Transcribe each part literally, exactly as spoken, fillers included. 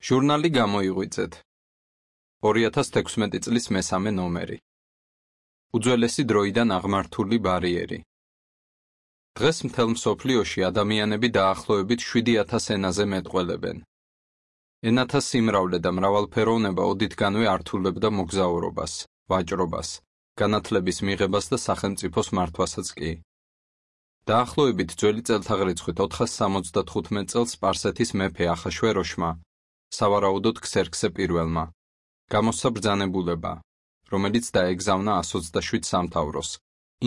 ჟურნალი გამოიღვიძეთ. ორი ათას თექვსმეტი წლის მესამე ნომერი. უძველესი დროიდან აღმართული ბარიერი. დღეს მთელ მსოფლიოში ადამიანები დაახლოებით შვიდი ათას ენაზე მეტყველებენ. ენათა სიმრავლე და მრავალფეროვნება ოდითგანვე ართულებდა მოგზაურობას, ვაჭრობას, განათლების მიღებას და სახელმწიფოს მართვასაც კი. დაახლოებით ძველი წელთაღრიცხვით ოთხას სამოცდათხუთმეტ წელს სპარსეთის მეფე ახაშვეროშმა, სავარაუდოდ ქსერქსე პირველმა, გამოსცა ბრძანებულება, რომელიც დაეგზავნა ასს ოცდაშვიდ სამთავროს,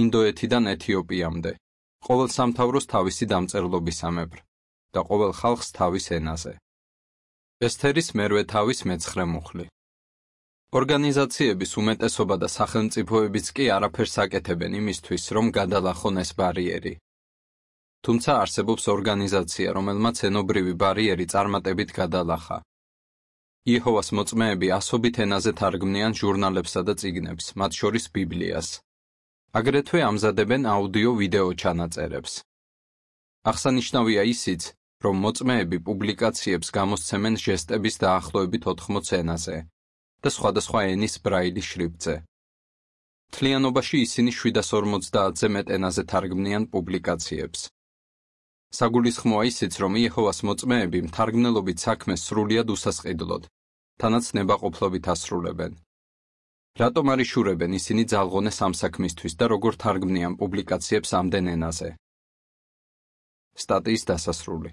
ინდოეთიდან ეთიოპიამდე, ყოველ სამთავროს თავისი დამწერლობისამებრ და ყოველ ხალხს თავის ენაზე. ესთერის მერვე თავის მეცხრე მუხლი. ორგანიზაციების უმეტესობა და სახელმწიფოებიც კი არაფერს აკეთებენ იმისთვის, რომ გადალახონ ეს ბარიერი. თუმცა არსებობს ორგანიზაცია, რომელმაც ენობრივი ბარიერი წარმატებით გადალახა. იეჰოვას მოწმეები ასობით ენაზე თარგმნიან ჟურნალებსა და წიგნებს, მათ შორის ბიბლიას. აგრეთვე ამზადებენ აუდიო-ვიდეო ჩანაწერებს. აღსანიშნავია ისიც, რომ მოწმეები პუბლიკაციებს გამოსცემენ ჟესტების დაახლოებით ოთხმოც ენაზე და სხვადასხვა ენის ბრაილის შრიფტზე. მთლიანობაში ისინი შვიდას ორმოცდაათზე მეტ ენაზე თარგმნიან პუბლიკაციებს. საგულისხმოა ისიც, რომ იეჰოვას მოწმეები მთარგმნელობით საქმეს სრულიად უსასყიდლოდ, თანაც ნებაყოფლობით ასრულებენ. რატომ არ იშურებენ ისინი ძალღონეს ამ საქმისთვის და როგორ თარგმნიან პუბლიკაციებს ამდენ ენაზე? სტატიის დასასრული.